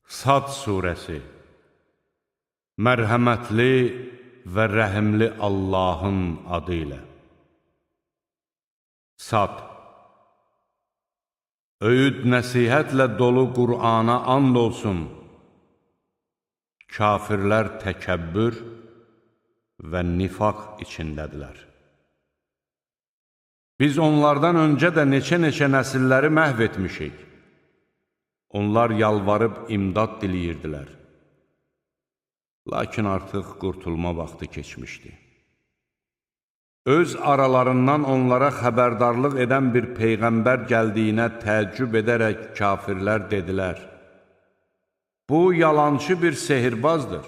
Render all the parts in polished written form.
Sad surəsi. Mərhəmətli və rəhimli Allahın adı ilə. Sad. Öyüd nəsihətlə dolu Qur'ana and olsun. Kafirlər təkəbbür və nifaq içindədirlər. Biz onlardan öncə də neçə-neçə nəsilləri məhv etmişik. Onlar yalvarıb imdad diləyirdilər. Lakin artıq qurtulma vaxtı keçmişdi. Öz aralarından onlara xəbərdarlıq edən bir peyğəmbər gəldiyinə təəccüb edərək kafirlər dedilər: Bu yalançı bir sehirbazdır.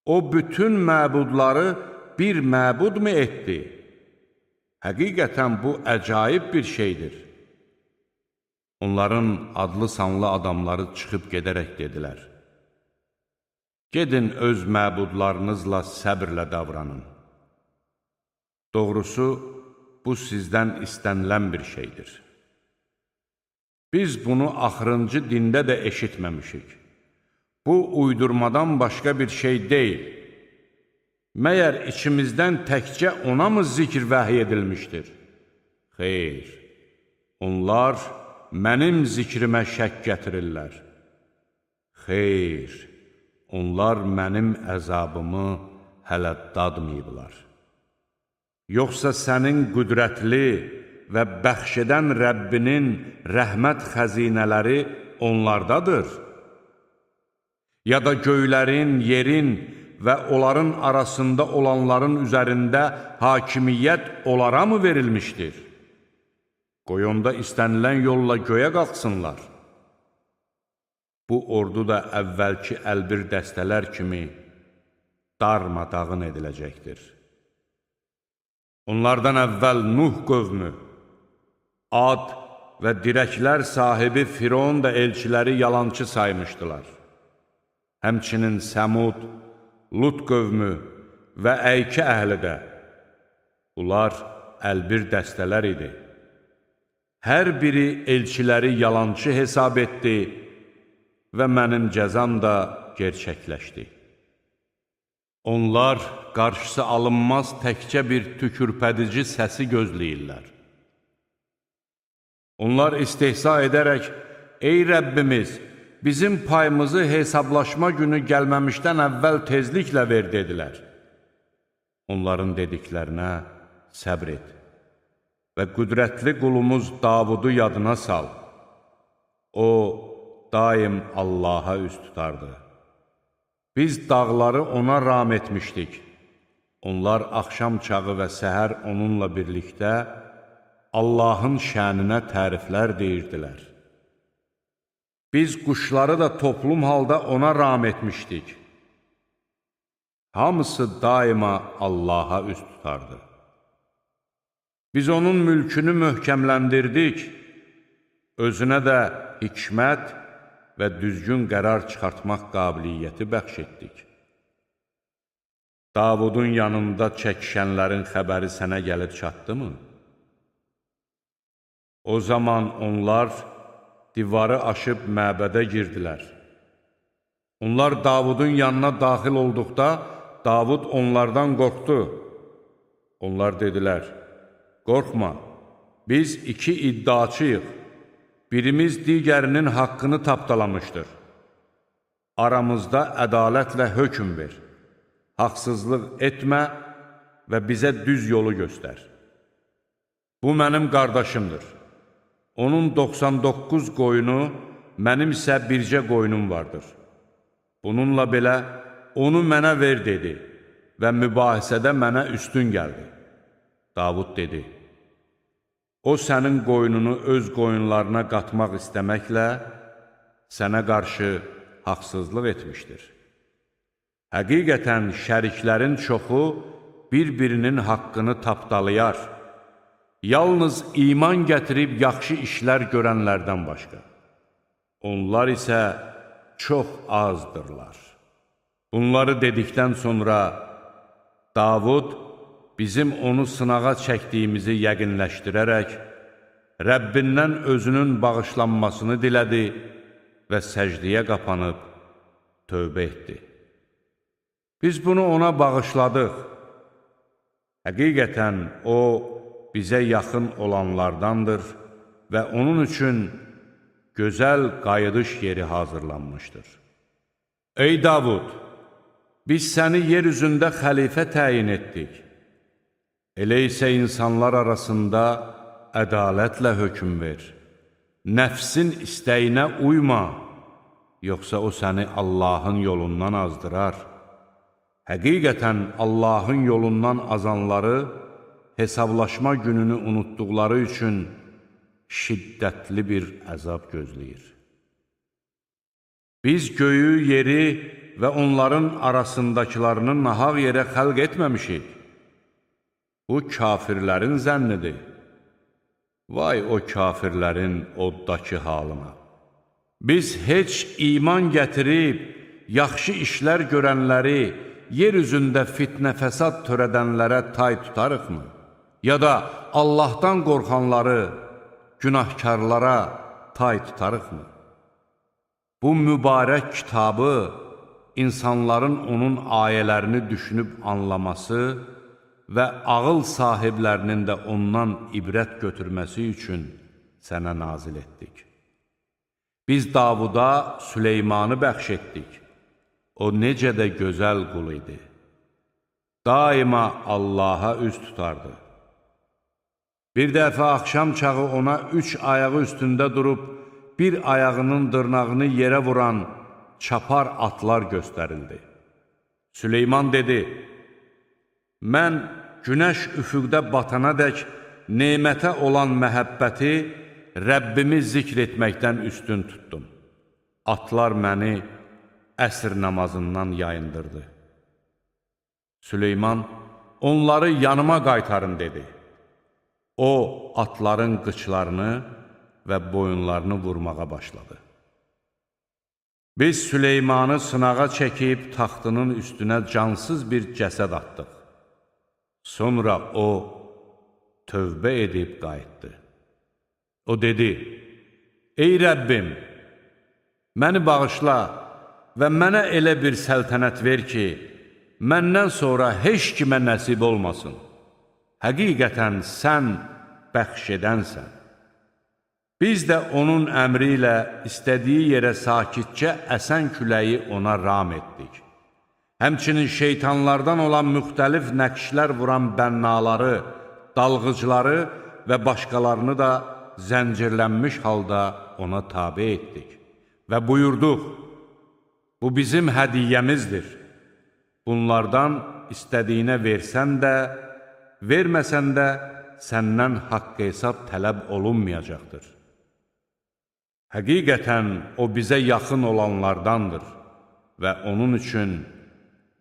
O bütün məbudları bir məbud mu etdi? Həqiqətən bu əcaib bir şeydir. Onların adlı sanlı adamları çıxıb gedərək dedilər: Gedin öz məbudlarınızla səbrlə davranın. Doğrusu, bu sizdən istənilən bir şeydir. Biz bunu axırıncı dində də eşitməmişik. Bu, uydurmadan başqa bir şey deyil. Məyər içimizdən təkcə ona mı zikr vəhiy edilmişdir? Xeyr, onlar mənim zikrimə şək gətirirlər. Xeyr, onlar mənim əzabımı hələ dadmayıblar. Yoxsa sənin qüdrətli və bəxş edən Rəbbinin rəhmət xəzinələri onlardadır? Ya da göylərin, yerin və onların arasında olanların üzərində hakimiyyət onlara mı verilmişdir? Qoy onda istənilən yolla göyə qalxsınlar. Bu ordu da əvvəlki əlbir dəstələr kimi darmadağın ediləcəkdir. Onlardan əvvəl Nuh qövmü, Ad və dirəklər sahibi Firon da elçiləri yalançı saymışdılar. Həmçinin Səmud, Lut qövmü və Əykə əhli də. Bunlar əlbir dəstələr idi. Hər biri elçiləri yalançı hesab etdi və mənim cəzam da gerçəkləşdi. Onlar qarşısı alınmaz təkcə bir tükürpədici səsi gözləyirlər. Onlar istehza edərək, Ey Rəbbimiz, bizim payımızı hesablaşma günü gəlməmişdən əvvəl tezliklə ver, dedilər. Onların dediklərinə səbr et və qüdrətli qulumuz Davudu yadına sal. O, daim Allaha üst tutardı. Biz dağları ona ram etmişdik. Onlar axşam çağı və səhər onunla birlikdə Allahın şəninə təriflər deyirdilər. Biz quşları da toplum halda ona ram etmişdik. Hamısı daima Allaha üst tutardı. Biz onun mülkünü möhkəmləndirdik, özünə də hikmət və düzgün qərar çıxartmaq qabiliyyəti bəxş etdik. Davudun yanında çəkişənlərin xəbəri sənə gəlib çatdımı? O zaman onlar divarı aşıb məbədə girdilər. Onlar Davudun yanına daxil olduqda, Davud onlardan qorxdu. Onlar dedilər: Qorxma, biz iki iddiaçıyıq. Birimiz digərinin haqqını tapdalamışdır. Aramızda ədalətlə hökm ver. Haqsızlıq etmə və bizə düz yolu göstər. Bu mənim qardaşımdır. Onun 99 qoyunu, mənim isə bircə qoyunum vardır. Bununla belə, onu mənə ver, dedi və mübahisədə mənə üstün gəldi. Davud dedi: O sənin qoyununu öz qoyunlarına qatmaq istəməklə sənə qarşı haqsızlıq etmişdir. Həqiqətən şəriklərin çoxu bir-birinin haqqını tapdalayar. Yalnız iman gətirib yaxşı işlər görənlərdən başqa. Onlar isə çox azdırlar. Bunları dedikdən sonra Davud bizim onu sınağa çəkdiyimizi yəqinləşdirərək, Rəbbindən özünün bağışlanmasını dilədi və səcdiyə qapanıb tövbə etdi. Biz bunu ona bağışladıq. Həqiqətən o, bizə yaxın olanlardandır və onun üçün gözəl qayıdış yeri hazırlanmışdır. Ey Davud! Biz səni yer üzündə xəlifə təyin etdik. Elə isə insanlar arasında ədalətlə hökm ver. Nəfsin istəyinə uyma, yoxsa o səni Allahın yolundan azdırar. Həqiqətən Allahın yolundan azanları hesablaşma gününü unutduqları üçün şiddətli bir əzab gözləyir. Biz göyü, yeri və onların arasındakılarını nahaq yerə xəlq etməmişik. Bu kafirlərin zənnidir. Vay o kafirlərin oddakı halına. Biz heç iman gətirib, yaxşı işlər görənləri, yer üzündə fitnə fəsad törədənlərə tay tutarıqmı? Ya da Allahdan qorxanları, günahkarlara tay tutarıqmı? Bu mübarək kitabı insanların onun ayələrini düşünüb anlaması və ağıl sahiblərinin də ondan ibrət götürməsi üçün sənə nazil etdik. Biz Davuda Süleymanı bəxş etdik. O necə də gözəl qul idi. Daima Allaha üz tutardı. Bir dəfə axşam çağı ona 3 ayağı üstündə durub, bir ayağının dırnağını yerə vuran çapar atlar göstərildi. Süleyman dedi, mən günəş üfüqdə batana dək nemətə olan məhəbbəti Rəbbimi zikr etməkdən üstün tutdum. Atlar məni əsr namazından yayındırdı. Süleyman, onları yanıma qaytarın dedi. O, atların qıçlarını və boyunlarını vurmağa başladı. Biz Süleymanı sınağa çəkib taxtının üstünə cansız bir cəsəd atdıq. Sonra o, tövbə edib qayıtdı. O dedi, ey Rəbbim, məni bağışla və mənə elə bir səltənət ver ki, məndən sonra heç kimə nəsib olmasın. Həqiqətən sən bəxş edənsən. Biz də onun əmri ilə istədiyi yerə sakitcə əsən küləyi ona ram etdik. Həmçinin şeytanlardan olan müxtəlif nəqşlər vuran bənnaları, dalğıcları və başqalarını da zəncirlənmiş halda ona tabe etdik. Və buyurduq, bu bizim hədiyyəmizdir. Bunlardan istədiyinə versən də, verməsən də səndən haqq hesab tələb olunmayacaqdır. Həqiqətən o bizə yaxın olanlardandır və onun üçün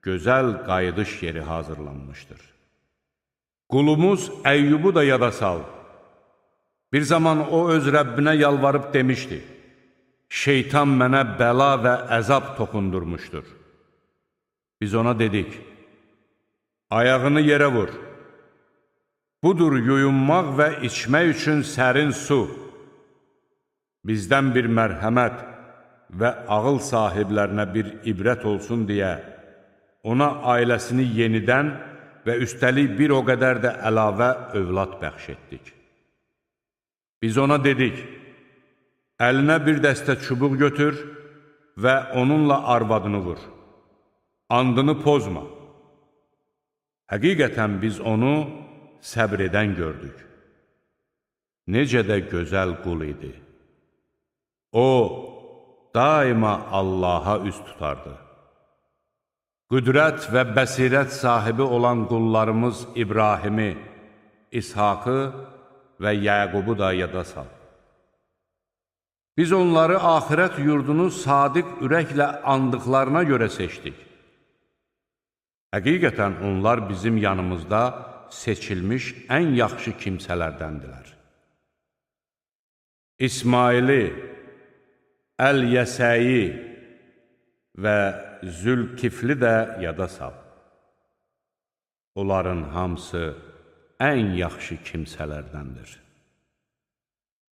gözəl qayıdış yeri hazırlanmışdır. Qulumuz Əyyubu da yada sal. Bir zaman o öz Rəbbinə yalvarıb demişdi, şeytan mənə bəla və əzab toxundurmuşdur. Biz ona dedik, ayağını yerə vur. Budur yuyunmaq və içmək üçün sərin su. Bizdən bir mərhəmət və ağıl sahiblərinə bir ibrət olsun deyə, ona ailəsini yenidən və üstəlik bir o qədər də əlavə övlad bəxş etdik. Biz ona dedik, əlinə bir dəstə çubuq götür və onunla arvadını vur. Andını pozma. Həqiqətən biz onu səbr edən gördük. Necə də gözəl qul idi. O, daima Allaha üz tutardı. Qüdrət və bəsirət sahibi olan qullarımız İbrahimi, İshakı və Yəqubu da yada sal. Biz onları axirət yurdunu sadiq ürəklə andıqlarına görə seçdik. Həqiqətən onlar bizim yanımızda seçilmiş ən yaxşı kimsələrdəndilər. İsmaili, Əl-Yəsəyi və Zülkifli də yada sal. Onların hamısı ən yaxşı kimsələrdəndir.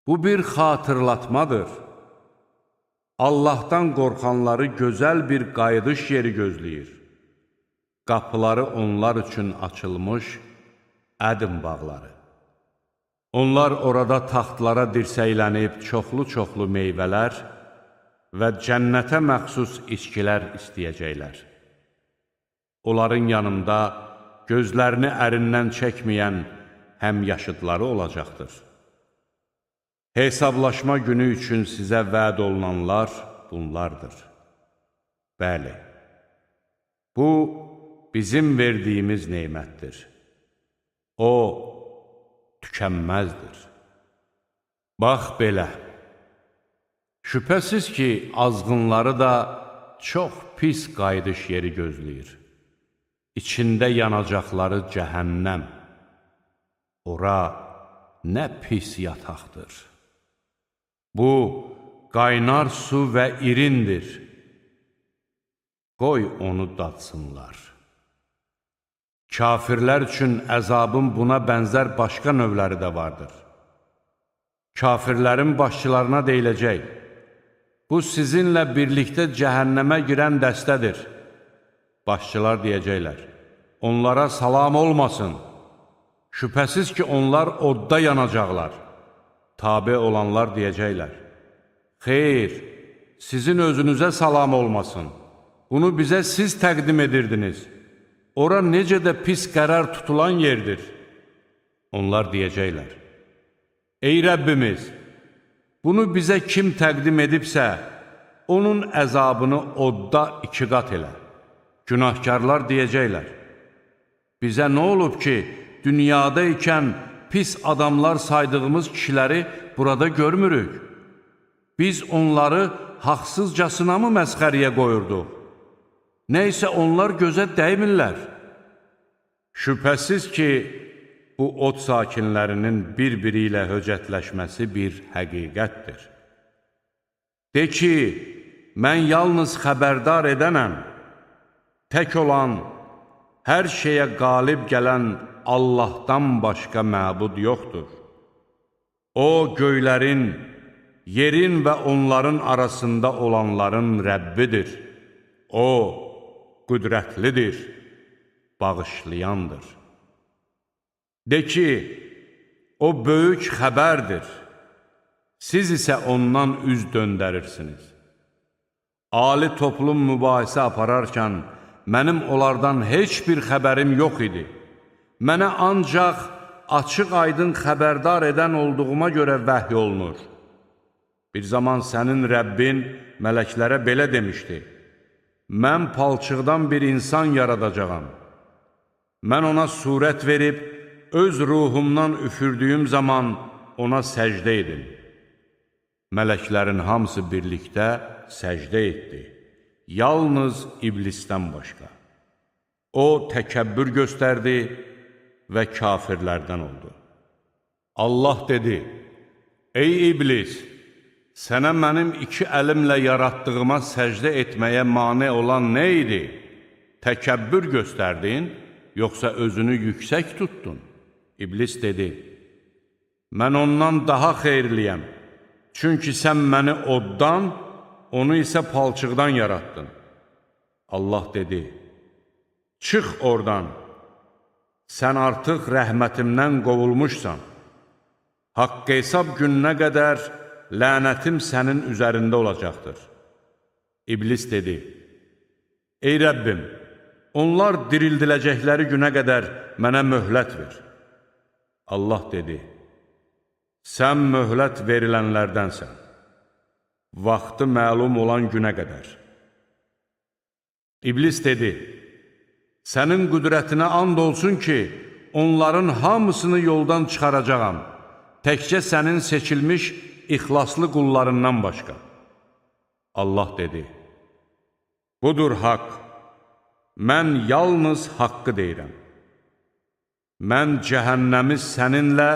Bu bir xatırlatmadır. Allahdan qorxanları gözəl bir qayıdış yeri gözləyir. Qapıları onlar üçün açılmış ədim bağları. Onlar orada taxtlara dirsəylənib çoxlu-çoxlu meyvələr və cənnətə məxsus içkilər istəyəcəklər. Onların yanında gözlərini ərindən çəkməyən həmyaşıdları olacaqdır. Hesablaşma günü üçün sizə vəd olunanlar bunlardır. Bəli, bu bizim verdiyimiz neymətdir. O, tükənməzdir. Bax belə, şübhəsiz ki, azğınları da çox pis qayıdış yeri gözləyir. İçində yanacaqları cəhənnəm. Ora nə pis yataqdır. Bu, qaynar su və irindir. Qoy onu dadsınlar. Kafirlər üçün əzabın buna bənzər başqa növləri də vardır. Kafirlərin başçılarına deyiləcək, bu sizinlə birlikdə cəhənnəmə girən dəstədir. Başçılar deyəcəklər, onlara salam olmasın. Şübhəsiz ki, onlar odda yanacaqlar. Tabe olanlar deyəcəklər, xeyr, sizin özünüzə salam olmasın. Bunu bizə siz təqdim edirdiniz. Ora necə də pis qərar tutulan yerdir. Onlar deyəcəklər, ey Rəbbimiz, bunu bizə kim təqdim edibsə, onun əzabını odda 2 qat elə. Günahkarlar deyəcəklər, bizə nə olub ki, dünyada ikən pis adamlar saydığımız kişiləri burada görmürük. Biz onları haqsızcasına mı məsxəriyə qoyurduq? Nəysə onlar gözə dəymirlər. Şübhəsiz ki, bu od sakinlərinin bir-biri ilə höcətləşməsi bir həqiqətdir. De ki, mən yalnız xəbərdar edənəm, tək olan, hər şeyə qalib gələn Allahdan başqa məbud yoxdur. O, göylərin, yerin və onların arasında olanların Rəbbidir. O, qüdrətlidir, bağışlayandır. De ki, o böyük xəbərdir, siz isə ondan üz döndərirsiniz. Ali toplum mübahisə apararkən, mənim onlardan heç bir xəbərim yox idi. Mənə ancaq açıq-aydın xəbərdar edən olduğuma görə vəhy olunur. Bir zaman sənin Rəbbin mələklərə belə demişdi, mən palçıqdan bir insan yaradacağam. Mən ona surət verib, öz ruhumdan üfürdüyüm zaman ona səcdə edin. Mələklərin hamısı birlikdə səcdə etdi, yalnız iblisdən başqa. O, təkəbbür göstərdi və kafirlərdən oldu. Allah dedi, ey iblis, sənə mənim 2 əlimlə yaratdığıma səcdə etməyə mane olan nə idi? Təkəbbür göstərdin, yoxsa özünü yüksək tutdun? İblis dedi, mən ondan daha xeyirliyəm, çünki sən məni oddan, onu isə palçıqdan yarattın. Allah dedi, çıx oradan, sən artıq rəhmətimdən qovulmuşsan. Haqq hesab gününə qədər lənətim sənin üzərində olacaqdır. İblis dedi, ey Rəbbim, onlar dirildiləcəkləri günə qədər mənə möhlət ver. Allah dedi, sən möhlət verilənlərdənsən, vaxtı məlum olan günə qədər. İblis dedi, sənin qüdrətinə and olsun ki, onların hamısını yoldan çıxaracağam, təkcə sənin seçilmiş ixlaslı qullarından başqa. Allah dedi, budur haqq, mən yalnız haqqı deyirəm. Mən cəhənnəmi səninlə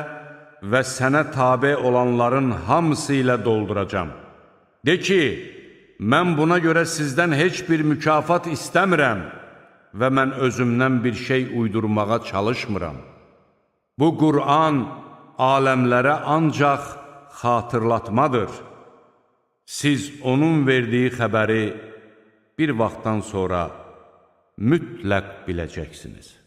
və sənə tabe olanların hamısı ilə dolduracam. De ki, mən buna görə sizdən heç bir mükafat istəmirəm və mən özümdən bir şey uydurmağa çalışmıram. Bu Qur'an aləmlərə ancaq xatırlatmadır. Siz onun verdiyi xəbəri bir vaxtdan sonra mütləq biləcəksiniz.